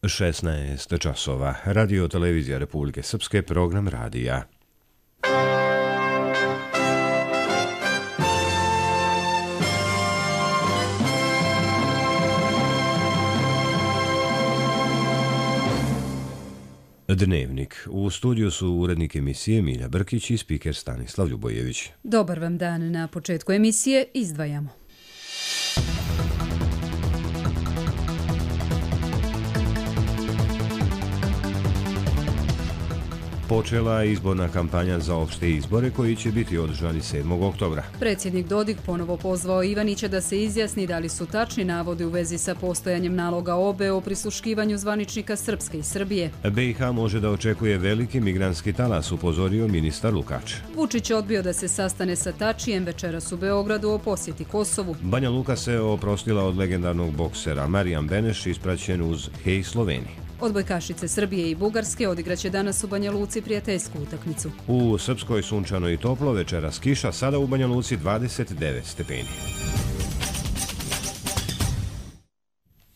16 časova. Radio televizija Republike Srpske, program radija. Dnevnik. U studiju su urednik emisije Milja Brkić i spiker Stanislav Ljubojević. Dobar vam dan. Na početku emisije izdvajamo. Počela je izborna kampanja za opšte izbore koji će biti održani 7. oktobra. Predsjednik Dodik ponovo pozvao Ivanića da se izjasni da li su tačni navodi u vezi sa postojanjem naloga OBE o prisluškivanju zvaničnika Srpske i Srbije. BiH može da očekuje veliki migrantski talas, upozorio ministar Lukač. Vučić odbio da se sastane sa Tačijem večeras u Beogradu o posjeti Kosovu. Banja Luka se oprostila od legendarnog boksera Marijan Beneš, ispraćen uz Hej Sloveniji. Odbojkašice Srbije i Bugarske odigraće danas u Banja Luci prijateljsku utakmicu. U Srpskoj sunčano i toplo, večeras kiša, sada u Banja Luci 29 stepeni.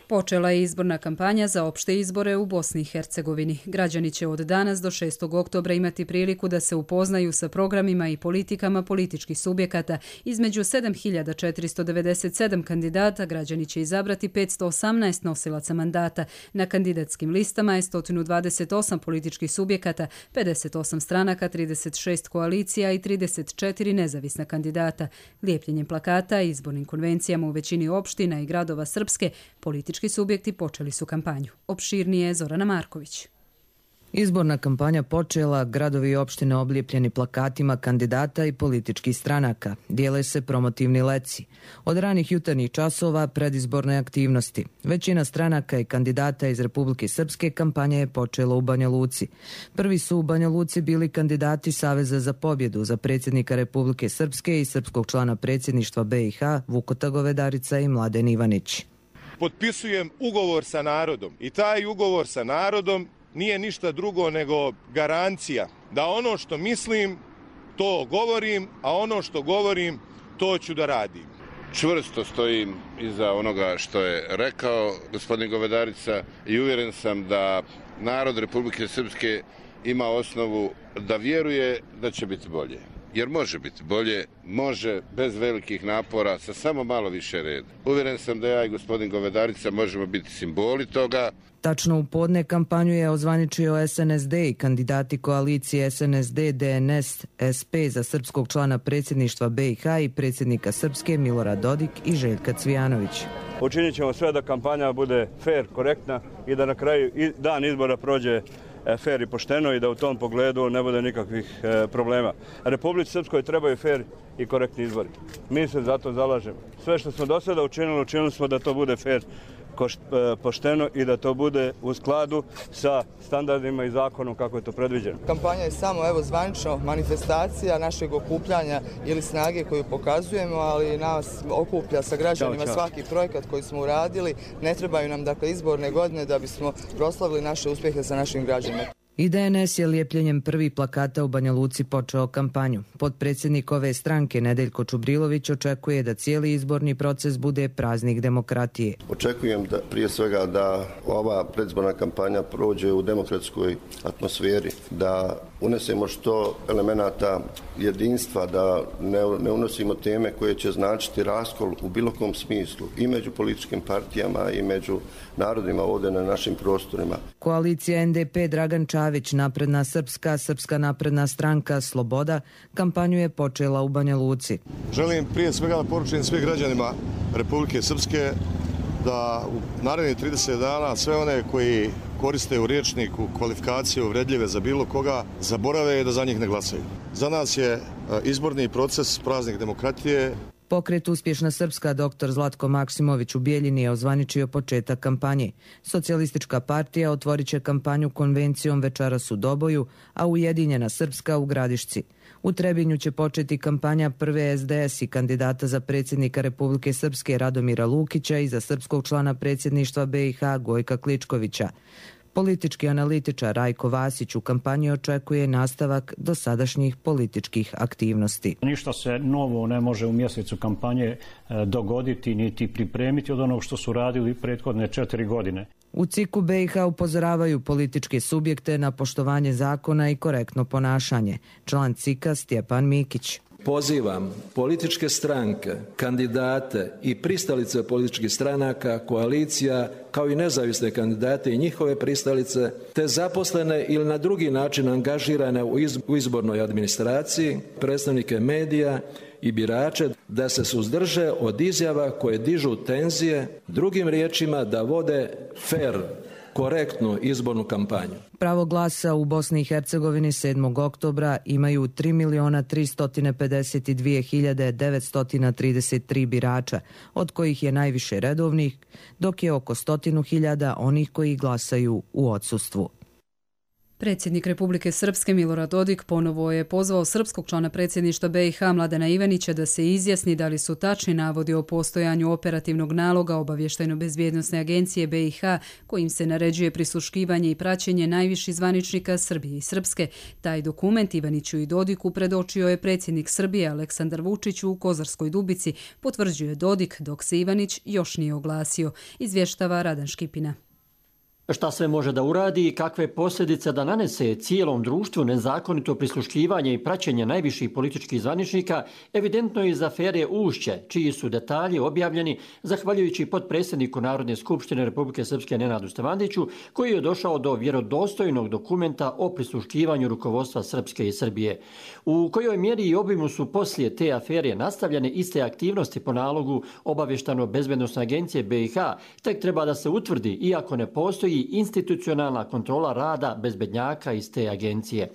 Počela je izborna kampanja za opšte izbore u Bosni i Hercegovini. Građani će od danas do 6. oktobra imati priliku da se upoznaju sa programima i politikama političkih subjekata. Između 7497 kandidata građani će izabrati 518 nosilaca mandata. Na kandidatskim listama je 128 političkih subjekata, 58 stranaka, 36 koalicija i 34 nezavisna kandidata. Lijepljenjem plakata i izbornim konvencijama u većini opština i gradova Srpske, politički subjekti počeli su kampanju. Opširnije Zorana Marković. Izborna kampanja počela, gradovi i opštine oblijepljeni plakatima kandidata i političkih stranaka. Dijele se promotivni leci. Od ranih jutarnjih časova predizborne aktivnosti. Većina stranaka i kandidata iz Republike Srpske kampanja je počela u Banja Luci. Prvi su u Banja Luci bili kandidati Saveza za pobjedu za predsjednika Republike Srpske i srpskog člana predsjedništva BiH Vukota Govedarica i Mladen Ivanić. Potpisujem ugovor sa narodom i taj ugovor sa narodom nije ništa drugo nego garancija da ono što mislim to govorim, a ono što govorim to ću da radim. Čvrsto stojim iza onoga što je rekao gospodin Govedarica i uvjeren sam da narod Republike Srpske ima osnovu da vjeruje da će biti bolje. Jer može biti bolje, može bez velikih napora, sa samo malo više reda. Uvjeren sam da ja i gospodin Govedarica možemo biti simboli toga. Tačno u podne kampanju je ozvaničio SNSD i kandidati koalicije SNSD, DNS, SP za srpskog člana predsjedništva BiH i predsjednika Srpske Milorad Dodik i Željka Cvijanović. Učinit ćemo sve da kampanja bude fair, korektna i da na kraju dan izbora prođe fair i pošteno i da u tom pogledu ne bude nikakvih problema. Republici Srpskoj trebaju fair i korektni izbori. Mi se za to zalažemo. Sve što smo do sada učinili smo da to bude fair, pošteno i da to bude u skladu sa standardima i zakonom kako je to predviđeno. Kampanja je samo zvanično manifestacija našeg okupljanja ili snage koju pokazujemo, ali nas okuplja sa građanima svaki projekat koji smo uradili. Ne trebaju nam izborne godine da bismo proslavili naše uspjehe sa našim građanima. I DNS je lijepljenjem prvih plakata u Banja Luci počeo kampanju. Potpredsjednik ove stranke Nedeljko Čubrilović očekuje da cijeli izborni proces bude praznik demokratije. Očekujem da prije svega da ova predizborna kampanja prođe u demokratskoj atmosferi, da unesemo što elemenata jedinstva, da ne unosimo teme koje će značiti raskol u bilo kom smislu i među političkim partijama i među narodima ovdje na našim prostorima. Koalicija NDP Dragan Čavić, Napredna Srpska, Srpska napredna stranka, Sloboda, kampanju je počela u Banja Luci. Želim prije svega da poručim svim građanima Republike Srpske da u narednih 30 dana sve one koji koriste u rječniku kvalifikaciju uvredljive za bilo koga, zaborave i da za njih ne glasaju. Za nas je izborni proces praznik demokratije. Pokret Uspješna Srpska dr. Zlatko Maksimović u Bijeljini je ozvaničio početak kampanje. Socijalistička partija otvorit će kampanju konvencijom večeras u Doboju, a Ujedinjena Srpska u Gradišci. U Trebinju će početi kampanja prve SDS i kandidata za predsjednika Republike Srpske Radomira Lukića i za srpskog člana predsjedništva BiH Gojka Kličkovića. Politički analitičar Rajko Vasić u kampanji očekuje nastavak dosadašnjih političkih aktivnosti. Ništa se novo ne može u mjesecu kampanje dogoditi niti pripremiti od onog što su radili prethodne 4 godine. U CIK-u BiH upozoravaju političke subjekte na poštovanje zakona i korektno ponašanje. Član CIK-a Stjepan Mikić. Pozivam političke stranke, kandidate i pristalice političkih stranaka, koalicija, kao i nezavisne kandidate i njihove pristalice, te zaposlene ili na drugi način angažirane u izbornoj administraciji, predstavnike medija i birače da se suzdrže od izjava koje dižu tenzije, drugim riječima da vode fer, korektnu izbornu kampanju. Pravo glasa u Bosni i Hercegovini 7. oktobra imaju 3.352.933 birača, od kojih je najviše redovnih, dok je oko 100.000 onih koji glasaju u odsustvu. Predsjednik Republike Srpske Milorad Dodik ponovo je pozvao srpskog člana predsjedništva BiH Mladena Ivanića da se izjasni da li su tačni navodi o postojanju operativnog naloga Obavještajno-bezbjednosne agencije BiH kojim se naređuje prisluškivanje i praćenje najviših zvaničnika Srbije i Srpske. Taj dokument Ivaniću i Dodiku predočio je predsjednik Srbije Aleksandar Vučić u Kozarskoj Dubici, potvrđuje Dodik, dok se Ivanić još nije oglasio, izvještava Radan Škipina. Šta sve može da uradi i kakve posljedice da nanese cijelom društvu nezakonito prisluškivanje i praćenje najviših političkih zvaničnika, evidentno je iz afere Ušće, čiji su detalji objavljeni zahvaljujući potpredsjedniku Narodne skupštine Republike Srpske Nenadu Stevandiću, koji je došao do vjerodostojnog dokumenta o prisluškivanju rukovodstva Srpske i Srbije. U kojoj mjeri i obimu su poslije te afere nastavljene iste aktivnosti po nalogu Obavještajno-bezbjednosne agencije BiH, tek treba da se utvrdi, iako ne postoji institucionalna kontrola rada bezbednjaka iz te agencije.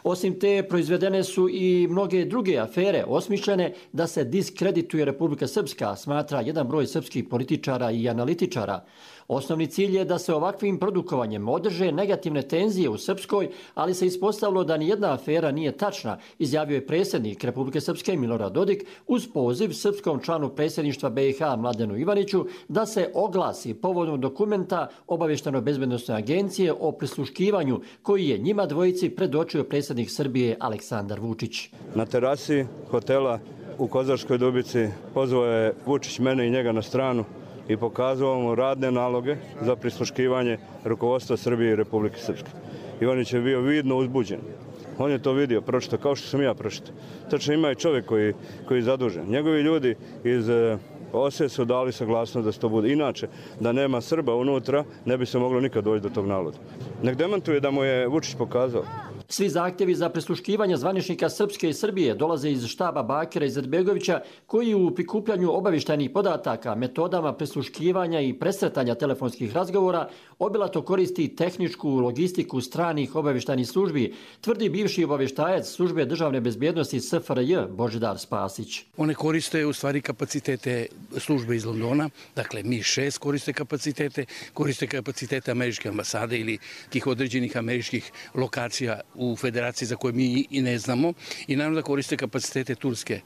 Osim te, proizvedene su i mnoge druge afere osmišljene da se diskredituje Republika Srpska, smatra jedan broj srpskih političara i analitičara. Osnovni cilj je da se ovakvim produkovanjem održe negativne tenzije u Srpskoj, ali se ispostavilo da nijedna afera nije tačna, izjavio je predsjednik Republike Srpske Milorad Dodik uz poziv srpskom članu predsjedništva BiH Mladenu Ivaniću da se oglasi povodom dokumenta Obavještajno-bezbjednosne agencije o prisluškivanju koji je njima dvojici predočio predsjednik Srbije Aleksandar Vučić. Na terasi hotela u Kozarskoj Dubici pozvao je Vučić mene i njega na stranu i pokazao mu radne naloge za prisluškivanje rukovodstva Srbije i Republike Srpske. Ivanić je bio vidno uzbuđen. On je to vidio, pročitao, kao što sam ja pročitao. Tačno ima i čovjek koji je zadužen. Njegovi ljudi iz OSE su dali saglasnost da se to bude. Inače, da nema Srba unutra, ne bi se moglo nikad doći do tog naloga. Nek demantuje da mu je Vučić pokazao. Svi zahtjevi za prisluškivanje zvaničnika Srpske i Srbije dolaze iz štaba Bakira Izetbegovića, koji u prikupljanju obavještajnih podataka, metodama prisluškivanja i presretanja telefonskih razgovora obilato koristi tehničku logistiku stranih obavještajnih službi, tvrdi bivši obavještajac službe državne bezbjednosti SFRJ Božidar Spasić. One koriste u stvari kapacitete službe iz Londona, dakle MI6 koriste kapacitete američke ambasade ili tih određenih američkih lokacija u federaciji za koje mi i ne znamo, i naravno da koriste kapacitete turske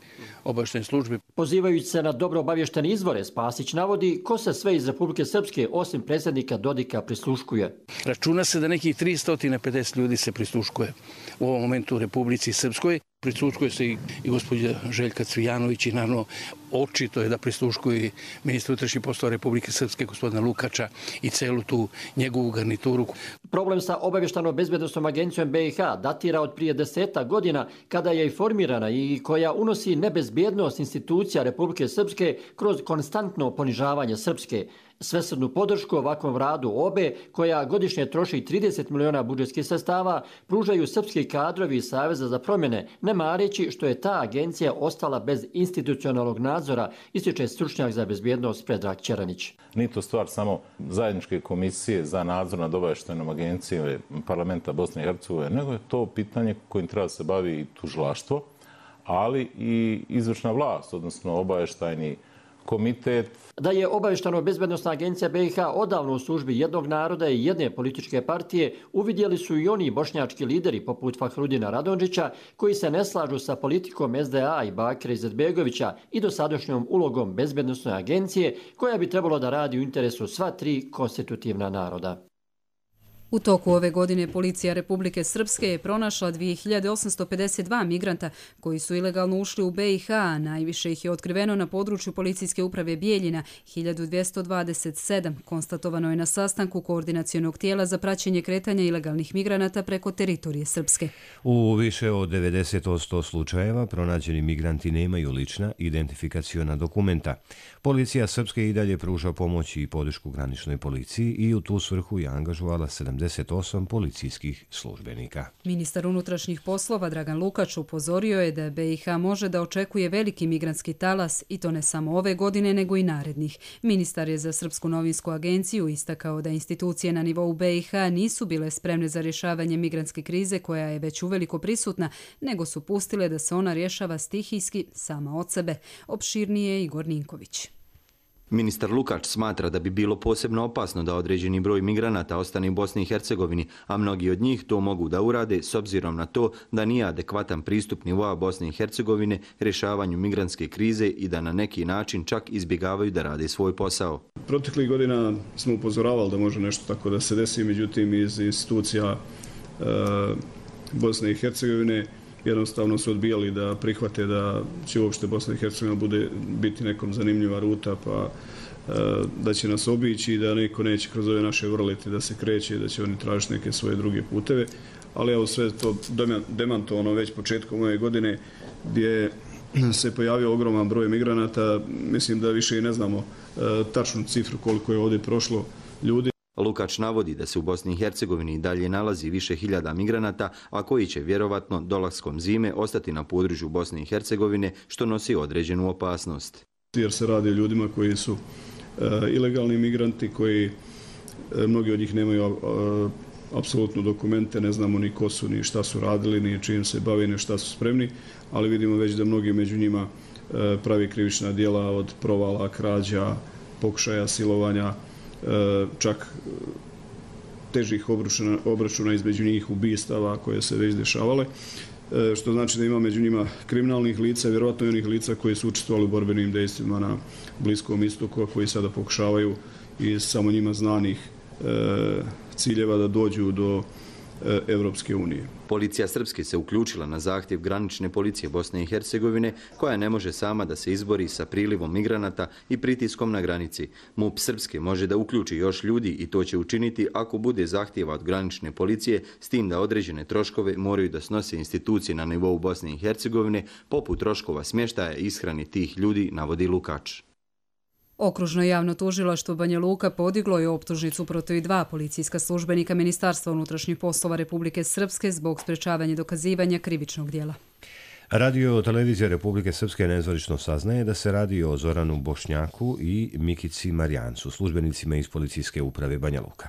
obavještajne službe. Pozivajući se na dobro obavještene izvore, Spasić navodi ko se sve iz Republike Srpske osim predsjednika Dodika prisluškuje. Računa se da nekih 350 ljudi se prisluškuje u ovom momentu u Republici Srpskoj. Prisluškuje se i gospođa Željka Cvijanović i naravno očito je da prisluškuje i ministra unutrašnjih poslova Republike Srpske gospodina Lukača i celu tu njegovu garnituru. Problem sa Obavještajno-bezbjednosnom agencijom BiH datira od prije 10 godina kada je i formirana i koja unosi nebezbjednost institucija Republike Srpske kroz konstantno ponižavanje Srpske. Svesrdnu podršku ovakvom radu OBE, koja godišnje troši 30 miliona budžetskih sredstava, pružaju srpski kadrovi iz Saveza za promjene, ne mareći što je ta agencija ostala bez institucionalnog nadzora, ističe stručnjak za bezbjednost Predrag Ćeranić. Nije to stvar samo zajedničke komisije za nadzor nad obavještajnom agencijom parlamenta Bosne i Hercegovine, nego je to pitanje kojim treba se bavi i tužilaštvo, ali i izvršna vlast, odnosno obavještajni komitet. Da je Obavještajno-bezbjednosna agencija BiH odavno u službi jednog naroda i jedne političke partije, uvidjeli su i oni bošnjački lideri poput Fahrudina Radončića, koji se ne slažu sa politikom SDA i Bakira Izetbegovića i dosadašnjom ulogom bezbjednosne agencije, koja bi trebalo da radi u interesu sva tri konstitutivna naroda. U toku ove godine policija Republike Srpske je pronašla 2852 migranta koji su ilegalno ušli u BiH, a najviše ih je otkriveno na području policijske uprave Bijeljina, 1227, konstatovano je na sastanku koordinacionog tijela za praćenje kretanja ilegalnih migranata preko teritorije Srpske. U više od 90% slučajeva pronađeni migranti nemaju lična identifikaciona dokumenta. Policija Srpske i dalje pruža pomoć i podršku graničnoj policiji i u tu svrhu je angažovala 78 policijskih službenika. Ministar unutrašnjih poslova Dragan Lukač upozorio je da BiH može da očekuje veliki migrantski talas i to ne samo ove godine nego i narednih. Ministar je za Srpsku novinsku agenciju istakao da institucije na nivou BiH nisu bile spremne za rješavanje migrantske krize koja je već uveliko prisutna, nego su pustile da se ona rješava stihijski sama od sebe. Opširnije Igor Ninković. Ministar Lukač smatra da bi bilo posebno opasno da određeni broj migranata ostane u Bosni i Hercegovini, a mnogi od njih to mogu da urade s obzirom na to da nije adekvatan pristup nivoa Bosne i Hercegovine rješavanju migrantske krize i da na neki način čak izbjegavaju da rade svoj posao. Proteklih godina smo upozoravali da može nešto tako da se desi, međutim iz institucija Bosne i Hercegovine jednostavno su odbijali da prihvate da će uopšte Bosna i Hercegovina biti nekom zanimljiva ruta, pa da će nas obići i da neko neće kroz ove naše vrlete da se kreće i da će oni tražiti neke svoje druge puteve. Ali evo sve to demantovano već početkom ove godine gdje se pojavio ogroman broj migranata. Mislim da više i ne znamo tačnu cifru koliko je ovdje prošlo ljudi. Lukač navodi da se u Bosni i Hercegovini i dalje nalazi više hiljada migranata, a koji će vjerovatno dolaskom zime ostati na području Bosne i Hercegovine, što nosi određenu opasnost. Jer se radi o ljudima koji su ilegalni migranti, koji mnogi od njih nemaju apsolutno dokumente, ne znamo ni ko su, ni šta su radili, ni čim se bave, ni šta su spremni, ali vidimo već da mnogi među njima pravi krivična djela od provala, krađa, pokušaja silovanja, čak težih obračuna između njih, ubistava koje se već dešavale, što znači da ima među njima kriminalnih lica, vjerovatno i onih lica koji su učestvovali u borbenim dejstvima na Bliskom istoku, koji sada pokušavaju iz samo njima znanih ciljeva da dođu do Evropske unije. Policija Srpske se uključila na zahtjev granične policije Bosne i Hercegovine, koja ne može sama da se izbori sa prilivom migranata i pritiskom na granici. MUP Srpske može da uključi još ljudi i to će učiniti ako bude zahtjeva od granične policije, s tim da određene troškove moraju da snose institucije na nivou Bosne i Hercegovine, poput troškova smještaja i ishrane tih ljudi, navodi Lukač. Okružno javno tužilaštvo Banja Luka podiglo je optužnicu protiv 2 policijska službenika Ministarstva unutrašnjih poslova Republike Srpske zbog sprečavanja dokazivanja krivičnog djela. Radio televizija Republike Srpske nezvanično saznaje da se radi o Zoranu Bošnjaku i Mikici Marijancu, službenicima iz policijske uprave Banja Luka.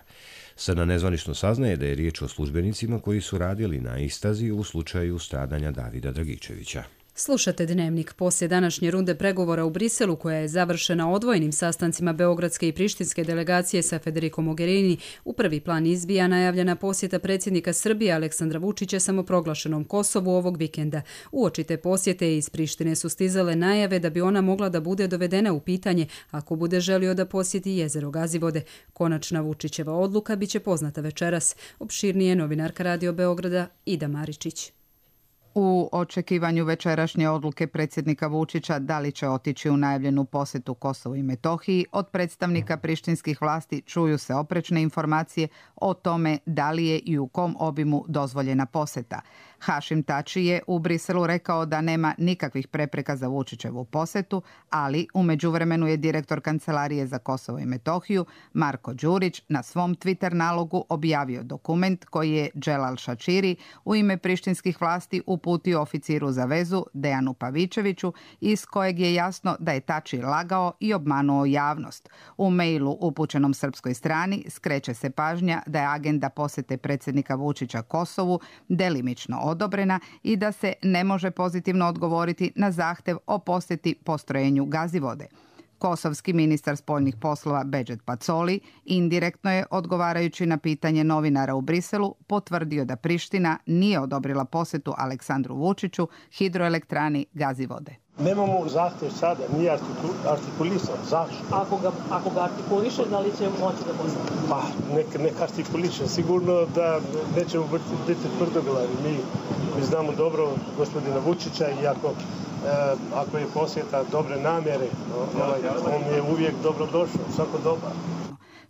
Sada nezvanično saznaje da je riječ o službenicima koji su radili na istrazi u slučaju stradanja Davida Dragičevića. Slušate Dnevnik. Poslije današnje runde pregovora u Briselu, koja je završena odvojenim sastancima Beogradske i Prištinske delegacije sa Federico Mogherini, u prvi plan izbija najavljena posjeta predsjednika Srbije Aleksandra Vučića samoproglašenom Kosovu ovog vikenda. Uoči te posjete iz Prištine su stizale najave da bi ona mogla da bude dovedena u pitanje ako bude želio da posjeti jezero Gazivode. Konačna Vučićeva odluka biće poznata večeras. Opširnije novinarka Radio Beograda Ida Maričić. U očekivanju večerašnje odluke predsjednika Vučića da li će otići u najavljenu posjetu Kosovu i Metohiji, od predstavnika prištinskih vlasti čuju se oprečne informacije o tome da li je i u kom obimu dozvoljena posjeta. Hašim Tači je u Briselu rekao da nema nikakvih prepreka za Vučićevu posjetu, ali u međuvremenu je direktor Kancelarije za Kosovo i Metohiju Marko Đurić na svom Twitter nalogu objavio dokument koji je Dželal Šačiri u ime prištinskih vlasti uputio oficiru za vezu Dejanu Pavičeviću, iz kojeg je jasno da je Tači lagao i obmanuo javnost. U mailu upućenom srpskoj strani skreće se pažnja da je agenda posjete predsjednika Vučića Kosovu delimično odobrena i da se ne može pozitivno odgovoriti na zahtjev o posjeti postrojenju Gazivode. Kosovski ministar spoljnih poslova Bedžet Pacoli indirektno je, odgovarajući na pitanje novinara u Briselu, potvrdio da Priština nije odobrila posjetu Aleksandru Vučiću hidroelektrani Gazivode. Nemamo zahtjev sada, nije artikulisan. Zašto? Ako ga artikuliše, da li će moći da postane? Pa, neka artikuliše. Sigurno da nećemo biti tvrdoglavi. Mi znamo dobro gospodina Vučića i ako je posjeta dobre namjere, on je uvijek dobrodošao, svako dobar.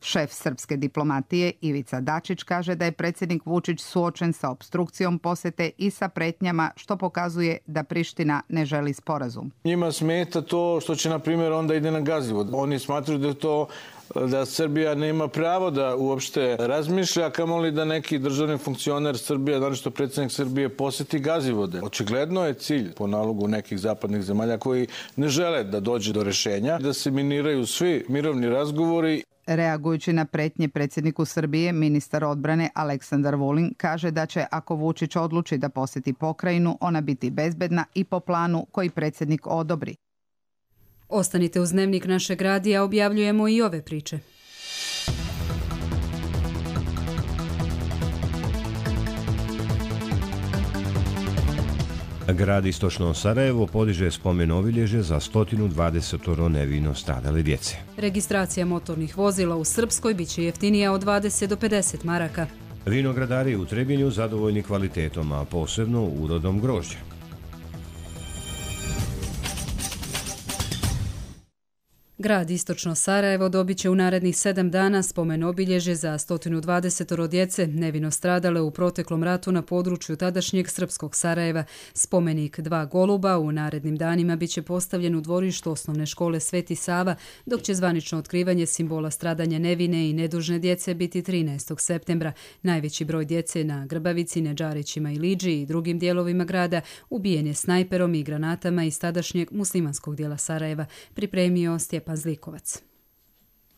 Šef srpske diplomatije Ivica Dačić kaže da je predsjednik Vučić suočen sa opstrukcijom posjete i sa pretnjama, što pokazuje da Priština ne želi sporazum. Njima smeta to što će, na primjer, onda ide na Gazivod. Oni smatruju da Srbija nema pravo da uopšte razmišlja, kamoli da neki državni funkcioner Srbije, naročito predsjednik Srbije, posjeti Gazivode. Očigledno je cilj po nalogu nekih zapadnih zemalja koji ne žele da dođe do rešenja, da se miniraju svi mirovni razgovori. Reagujući na pretnje predsjedniku Srbije, ministar odbrane Aleksandar Vulin kaže da će, ako Vučić odluči da posjeti pokrajinu, ona biti bezbedna i po planu koji predsjednik odobri. Ostanite uz Dnevnik našeg radija, objavljujemo i ove priče. Grad Istočno Sarajevo podiže spomen obilježje za 120 nevino stradale djece. Registracija motornih vozila u Srpskoj biće jeftinija od 20 do 50 maraka. Vinogradari u Trebinju zadovoljni kvalitetom, a posebno urodom grožđa. Grad Istočno Sarajevo dobit će u narednih 7 dana spomen obilježje za 120 djece nevino stradale u proteklom ratu na području tadašnjeg srpskog Sarajeva. Spomenik 2 goluba u narednim danima biće postavljen u dvorištu osnovne škole Sveti Sava, dok će zvanično otkrivanje simbola stradanja nevine i nedužne djece biti 13. septembra. Najveći broj djece na Grbavici, Nedžarićima i Liđi i drugim dijelovima grada ubijen je snajperom i granatama iz tadašnjeg muslimanskog dijela Sarajeva, pripremio Stjepan Zlikovac.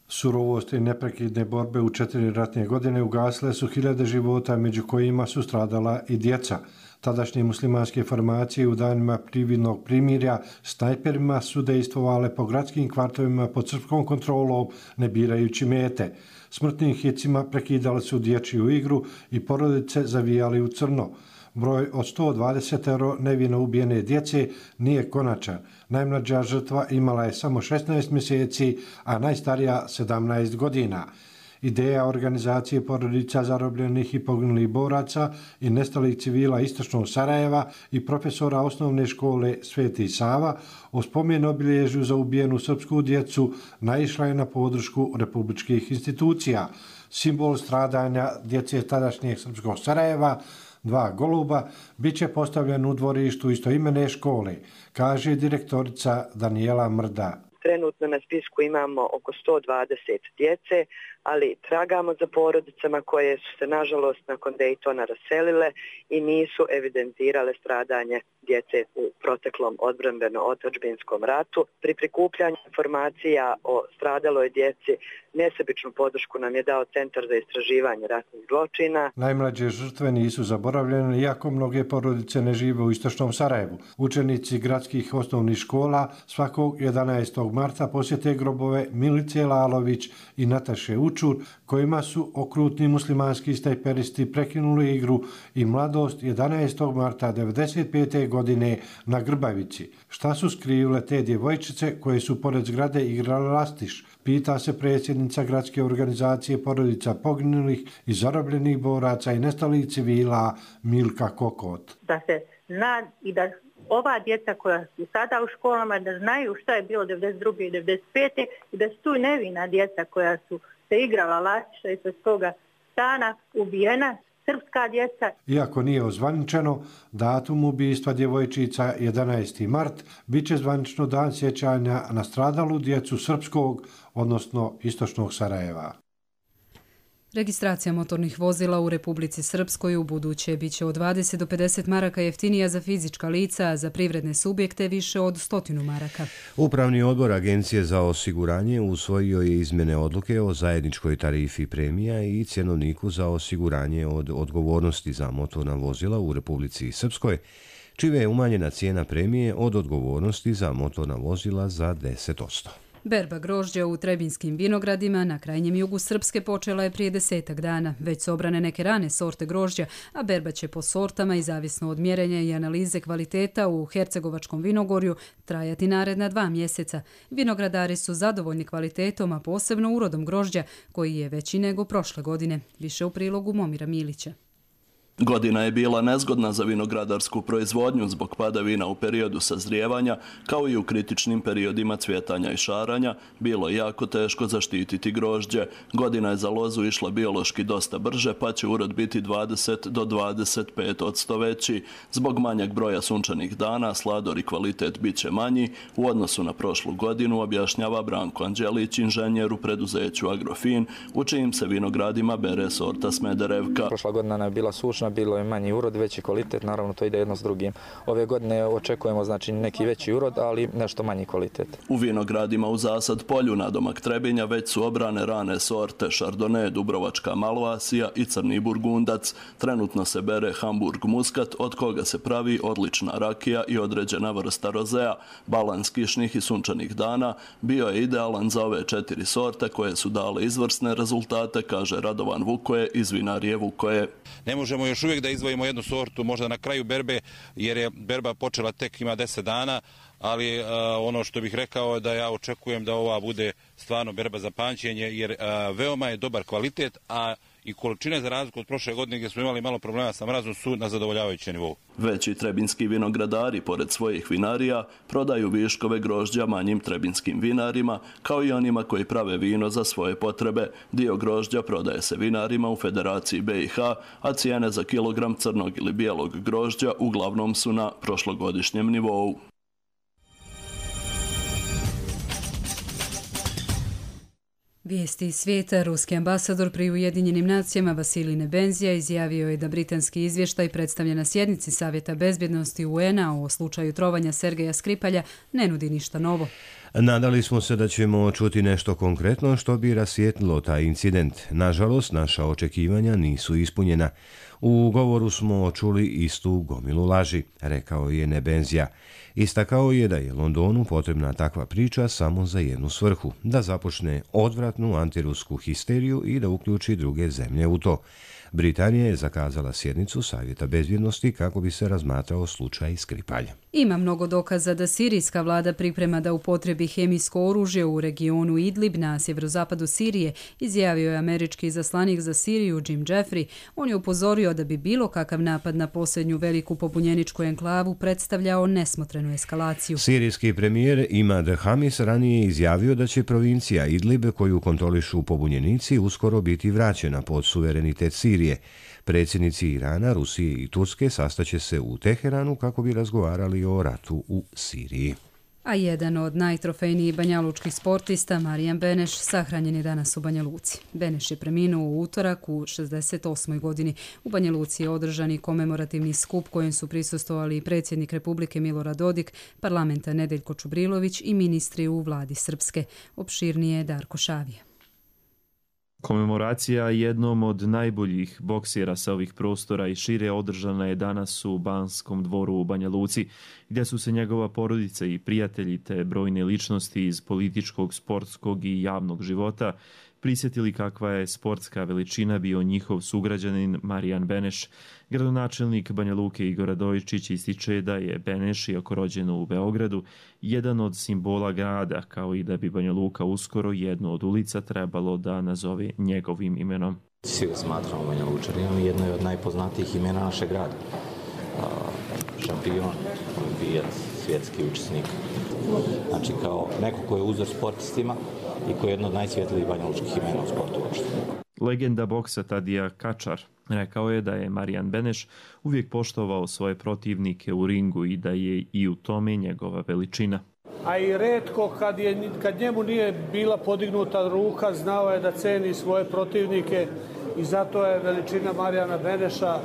Surovost i neprekidne borbe u 4 ratne godine ugasile su hiljade života, među kojima su stradala i djeca. Tadašnje muslimanske formacije u danima prividnog primirja snajperima su dejstvovale po gradskim kvartovima pod srpskom kontrolom, ne birajući mete. Smrtnim hicima prekidali su dječju igru i porodice zavijali u crno. Broj od 120 nevino ubijene djece nije konačan. Najmlađa žrtva imala je samo 16 mjeseci, a najstarija 17 godina. Ideja organizacije porodica zarobljenih i poginulih boraca i nestalih civila Istočnog Sarajeva i profesora osnovne škole Sveti Sava o spomen obilježju za ubijenu srpsku djecu naišla je na podršku republičkih institucija. Simbol stradanja djece tadašnjeg srpskog Sarajeva, 2 goluba, bit će postavljen u dvorištu istoimene škole, kaže direktorica Danijela Mrda. Trenutno na spisku imamo oko 120 djece, ali tragamo za porodicama koje su se nažalost nakon Dejtona raselile i nisu evidentirale stradanje djece u proteklom odbrambeno-otadžbinskom ratu. Pri prikupljanju informacija o stradaloj djeci nesebičnu podršku nam je dao Centar za istraživanje ratnih zločina. Najmlađe žrtve nisu zaboravljene, iako mnoge porodice ne žive u Istočnom Sarajevu. Učenici gradskih osnovnih škola svakog 11. marta posjete grobove Milice Lalović i Nataše Učur, kojima su okrutni muslimanski snajperisti prekinuli igru i mladost 11. marta 1995. godine na Grbavici. Šta su skrivile te djevojčice koje su pored zgrade igrale lastiš? Pita se predsjednica gradske organizacije porodica poginulih i zarobljenih boraca i nestalih civila Milka Kokot. Da se zna i da ova djeca koja su sada u školama da znaju šta je bilo 92. i 95. i da su tu nevina djeca koja su se igrala lastiša i sa toga stana ubijena, srpska djeca. Iako nije ozvaničeno, datum ubijstva djevojčica 11. mart bit će zvanično dan sjećanja na stradalu djecu srpskog, odnosno Istočnog Sarajeva. Registracija motornih vozila u Republici Srpskoj u buduće biće od 20 do 50 maraka jeftinija za fizička lica, a za privredne subjekte više od 100 maraka. Upravni odbor Agencije za osiguranje usvojio je izmjene odluke o zajedničkoj tarifi premija i cjenovniku za osiguranje od odgovornosti za motorna vozila u Republici Srpskoj, čime je umanjena cijena premije od odgovornosti za motorna vozila za 10%. Berba grožđa u Trebinskim vinogradima na krajnjem jugu Srpske počela je prije 10 dana. Već su obrane neke rane sorte grožđa, a berba će po sortama i zavisno od mjerenja i analize kvaliteta u Hercegovačkom vinogorju trajati naredna 2 mjeseca. Vinogradari su zadovoljni kvalitetom, a posebno urodom grožđa, koji je veći nego prošle godine. Više u prilogu Momira Milića. Godina je bila nezgodna za vinogradarsku proizvodnju zbog padavina u periodu sazrijevanja, kao i u kritičnim periodima cvjetanja i šaranja. Bilo je jako teško zaštititi grožđe. Godina je za lozu išla biološki dosta brže, pa će urod biti 20 do 25% veći. Zbog manjeg broja sunčanih dana, slador i kvalitet bit će manji u odnosu na prošlu godinu, objašnjava Branko Anđelić, inženjer u preduzeću Agrofin, u čijim se vinogradima bere sorta Smederevka. Prošla godina je bila sušna, bilo je manji urod, veći kvalitet, naravno to ide jedno s drugim. Ove godine očekujemo znači neki veći urod, ali nešto manji kvalitet. U vinogradima u Zasad polju nadomak Trebinja već su obrane rane sorte Chardonnay, Dubrovačka Malvasija i Crni Burgundac. Trenutno se bere Hamburg Muskat, od koga se pravi odlična rakija i određena vrsta rozea. Balans kišnih i sunčanih dana bio je idealan za ove 4 sorte koje su dale izvrsne rezultate, kaže Radovan Vukoje iz vinarije Vukoje. Ne možemo još uvijek da izdvojimo jednu sortu, možda na kraju berbe, jer je berba počela tek ima 10 dana, ali ono što bih rekao je da ja očekujem da ova bude stvarno berba za pamćenje, jer veoma je dobar kvalitet, a i količine za razliku od prošle godine gdje smo imali malo problema sa mrazom su na zadovoljavajućem nivou. Veći trebinski vinogradari, pored svojih vinarija, prodaju viškove grožđa manjim trebinskim vinarima, kao i onima koji prave vino za svoje potrebe. Dio grožđa prodaje se vinarima u Federaciji BiH, a cijene za kilogram crnog ili bijelog grožđa uglavnom su na prošlogodišnjem nivou. Vijesti iz svijeta. Ruski ambasador pri Ujedinjenim nacijama Vasilij Nebenzija izjavio je da britanski izvještaj predstavljen na sjednici Savjeta bezbjednosti UN-a o slučaju trovanja Sergeja Skripalja ne nudi ništa novo. Nadali smo se da ćemo čuti nešto konkretno što bi rasvijetlilo taj incident. Nažalost, naša očekivanja nisu ispunjena. U govoru smo čuli istu gomilu laži, rekao je Nebenzija. Istakao je da je Londonu potrebna takva priča samo za jednu svrhu, da započne odvratnu antirusku histeriju i da uključi druge zemlje u to. Britanija je zakazala sjednicu Savjeta bezbjednosti kako bi se razmatrao slučaj Skripalja. Ima mnogo dokaza da sirijska vlada priprema da upotrebi hemijsko oružje u regionu Idlib na sjeverozapadu Sirije, izjavio je američki izaslanik za Siriju Jim Jeffrey. On je upozorio da bi bilo kakav napad na posljednju veliku pobunjeničku enklavu predstavljao nesmotrenu eskalaciju. Sirijski premijer Imad Hamis ranije izjavio da će provincija Idlib, koju kontrolišu pobunjenici, uskoro biti vraćena pod suverenitet Sirije. Predsjednici Irana, Rusije i Turske sastaće se u Teheranu kako bi razgovarali o ratu u Siriji. A jedan od najtrofejnijih banjalučkih sportista, Marijan Beneš, sahranjen je danas u Banja Luci. Beneš je preminuo u utorak u 68. godini. U Banja Luci je održan i komemorativni skup kojem su prisustvovali predsjednik Republike Milorad Dodik, parlamenta Nedeljko Čubrilović i ministri u vladi Srpske. Opširnije Darko Šavija. Komemoracija jednom od najboljih boksera sa ovih prostora i šire održana je danas u Banskom dvoru u Banja Luci, gdje su se njegova porodica i prijatelji te brojne ličnosti iz političkog, sportskog i javnog života prisjetili kakva je sportska veličina bio njihov sugrađanin Marijan Beneš. Gradonačelnik Banja Luke Igor Radojičić ističe da je Beneš, iako rođen u Beogradu, jedan od simbola grada, kao i da bi Banja Luka uskoro jednu od ulica trebalo da nazove njegovim imenom. Svi ga smatramo Banja Lučaninom i jedno je od najpoznatijih imena našeg grada. Šampion, olimpijac, svjetski učesnik. Znači kao neko ko je uzor sportistima i koji je jedno od najsvjetlijih banjalučkih imena u sportu uopšte. Legenda boksa Tadija Kačar rekao je da je Marijan Beneš uvijek poštovao svoje protivnike u ringu i da je i u tome njegova veličina. A i retko kad njemu nije bila podignuta ruka, znao je da ceni svoje protivnike i zato je veličina Marijana Beneša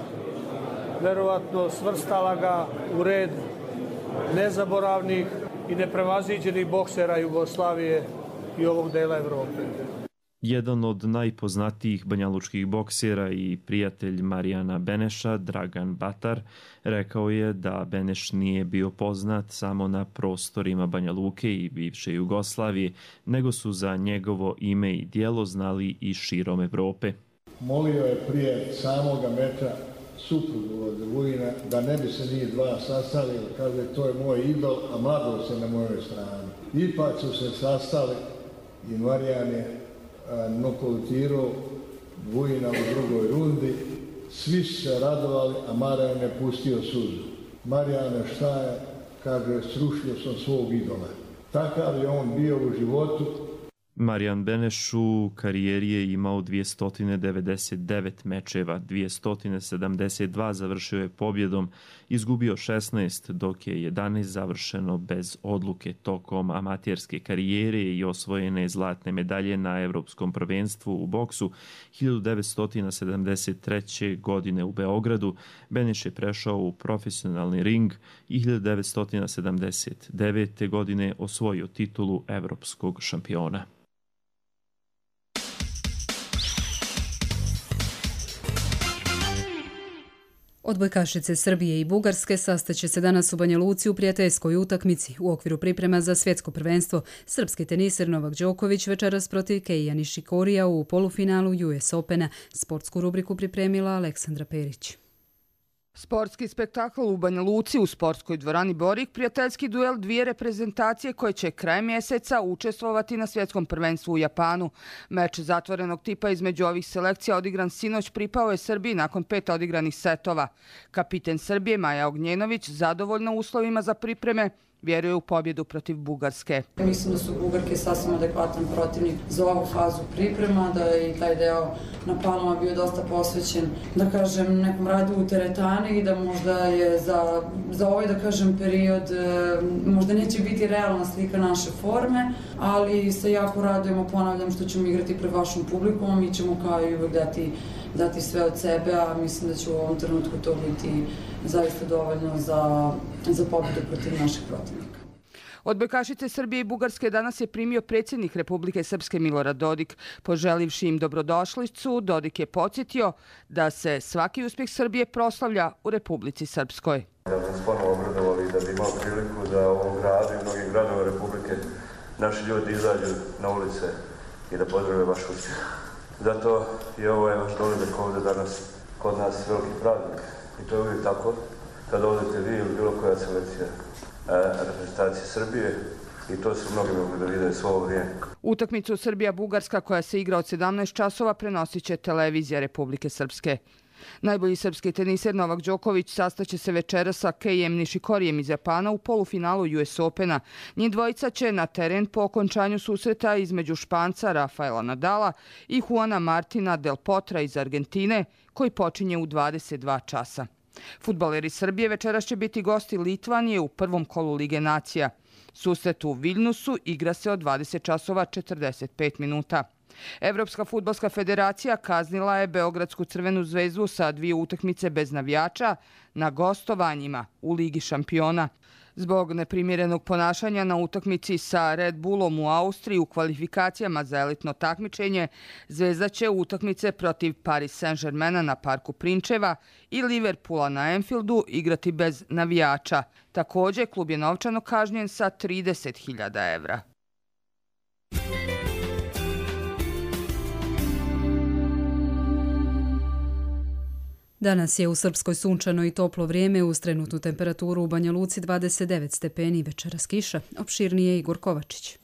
verovatno svrstala ga u red nezaboravnih i neprevaziđenih boksera Jugoslavije i ovog dela Evrope. Jedan od najpoznatijih banjalučkih boksera i prijatelj Marijana Beneša, Dragan Batar, rekao je da Beneš nije bio poznat samo na prostorima Banja Luke i bivše Jugoslavije, nego su za njegovo ime i djelo znali i širom Evrope. Molio je prije samoga meča suprugu od Vujina da ne bi se njih dva sastali, kaže to je moj idol, a mladost je na mojoj strani. Ipak su se sastali i Marijan je nokautirao Vujina u drugoj rundi. Svi su se radovali, a Marijan je pustio suzu. Marijane, šta je? Kaže, srušio sam svog idola. Takav je on bio u životu. Marijan Beneš u karijeri je imao 299 mečeva, 272 završio je pobjedom, izgubio 16, dok je 11 završeno bez odluke. Tokom amaterske karijere i osvojene zlatne medalje na Evropskom prvenstvu u boksu 1973. godine u Beogradu, Beneš je prešao u profesionalni ring i 1979. godine osvojio titulu evropskog šampiona. Odbojkašice Srbije i Bugarske sastaće se danas u Banja Luci u prijateljskoj utakmici u okviru priprema za svjetsko prvenstvo. Srpski teniser Novak Đoković večeras protiv Keija Nišikorija u polufinalu US Opena. Sportsku rubriku pripremila Aleksandra Perić. Sportski spektakl u Banja Luci u sportskoj dvorani Borik, prijateljski duel dvije reprezentacije koje će krajem mjeseca učestvovati na svjetskom prvenstvu u Japanu. Meč zatvorenog tipa između ovih selekcija odigran sinoć pripao je Srbiji nakon 5 odigranih setova. Kapiten Srbije Maja Ognjenović zadovoljna uslovima za pripreme vjeruje u pobjedu protiv Bugarske. Mislim da su Bugarke sasvim adekvatan protivnik za ovu fazu priprema, da je i taj deo na Palama bio dosta posvećen, da kažem, nekom radu u teretani i da možda je za ovaj, da kažem, period možda neće biti realna slika naše forme, ali se jako radujemo, ponavljam, što ćemo igrati pred vašom publikom, mi ćemo kao i uvek dati sve od sebe, a mislim da će u ovom trenutku to biti zaista dovoljno za pobjedu protiv naših protivnika. Odbojkašice Srbije i Bugarske danas je primio predsjednik Republike Srpske Milorad Dodik. Poželivši im dobrodošlicu, Dodik je podsjetio da se svaki uspjeh Srbije proslavlja u Republici Srpskoj. Da smo ponovo obradovali da bi imao priliku da u ovom gradu i mnogim gradovima Republike naši ljudi izađu na ulice i da pozdrave vaš uspjeh. Zato je ovo vaš dolazak ovdje danas kod nas veliki praznik. I to je uvijek tako kad odete vi ili bilo koja selekcija reprezentacije Srbije i to su mnogi mogli da vide svo ovo vrijeme. Utakmicu Srbija-Bugarska koja se igra od 17 časova prenosit će televizija Republike Srpske. Najbolji srpski teniser Novak Đoković sastaće se večeras sa Keijem Nišikorijem iz Japana u polufinalu US Opena. Njih dvojica će na teren po okončanju susreta između Španca Rafaela Nadala i Juana Martina Del Potra iz Argentine, koji počinje u 22 časa. Fudbaleri Srbije večeras će biti gosti Litvanije u prvom kolu Lige nacija. Susret u Viljnusu igra se od 20 časova 45 minuta. Evropska fudbalska federacija kaznila je Beogradsku Crvenu zvezdu sa 2 utakmice bez navijača na gostovanjima u Ligi šampiona. Zbog neprimjerenog ponašanja na utakmici sa Red Bullom u Austriji u kvalifikacijama za elitno takmičenje, Zvezda će utakmice protiv Paris Saint-Germaina na Parku Prinčeva i Liverpoola na Anfieldu igrati bez navijača. Također, klub je novčano kažnjen sa 30.000 evra. Danas je u Srpskoj sunčano i toplo vrijeme, uz trenutnu temperaturu u Banja Luci 29 stepeni, večeras kiša. Opširnije Igor Kovačić.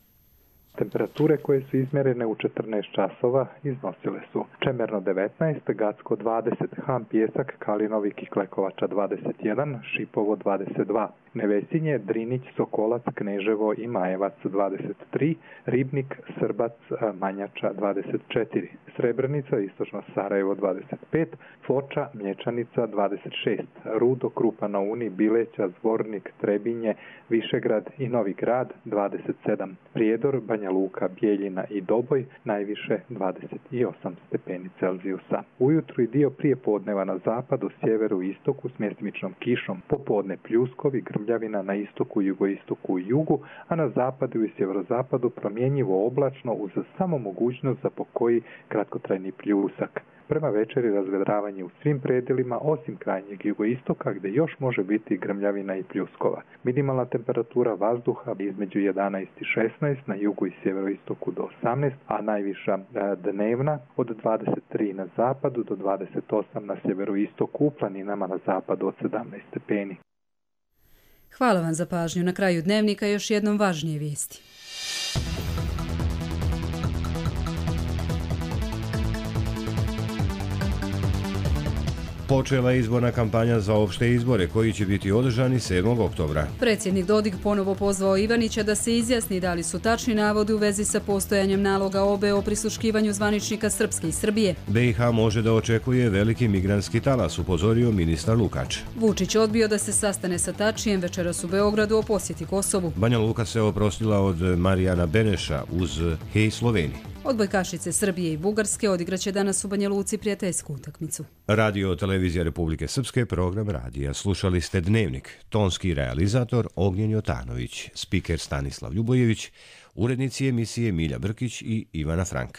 Temperature koje su izmjerene u 14 časova iznosile su Čemerno 19, Gacko 20, Han Pjesak, Kalinovik i Klekovača 21, Šipovo 22, Nevesinje, Drinić, Sokolac, Kneževo i Majevac 23, Ribnik, Srbac, Manjača 24, Srebrenica, Istočno Sarajevo 25, Foča, Mlječanica 26, Rudo, Krupa na Uni, Bileća, Zvornik, Trebinje, Višegrad i Novi Grad 27, Prijedor, Banja Luka, Bijeljina i Doboj najviše 28 stepeni Celzijusa. Ujutru i dio prije podneva na zapadu, sjeveru i istoku s mjestimičnom kišom, popodne pljuskovi, grmljavina na istoku, jugoistoku i jugu, a na zapadu i sjeverozapadu promjenjivo oblačno uz samo mogućnost za pokoji kratkotrajni pljusak. Prema večeri razvedravanje u svim predjelima osim krajnjeg jugoistoka gdje još može biti grmljavina i pljuskova. Minimalna temperatura vazduha između 11 i 16 na jugu i sjeveroistoku do 18, a najviša dnevna od 23 na zapadu do 28 na sjeveroistoku, u planinama na zapadu od 17 stepeni. Hvala vam za pažnju. Na kraju dnevnika još jednom važnije vijesti. Počela je izborna kampanja za opšte izbore koji će biti održani 7. oktobra. Predsjednik Dodik ponovo pozvao Ivanića da se izjasni da li su tačni navodi u vezi sa postojanjem naloga OBE o prisluškivanju zvaničnika Srpske i Srbije. BiH može da očekuje veliki migrantski talas, upozorio ministar Lukač. Vučić odbio da se sastane sa Tačijem večeras u Beogradu o posjeti Kosovu. Banja Luka se oprostila od Marijana Beneša uz Hej Sloveniji. Odbojkašice Srbije i Bugarske odigraće danas u Banja Luci prijateljsku utakmicu. Radio Televizija Republike Srpske, program radija. Slušali ste Dnevnik. Tonski realizator Ognjen Jotanović, spiker Stanislav Ljubojević, urednici emisije Milja Brkić i Ivana Frank.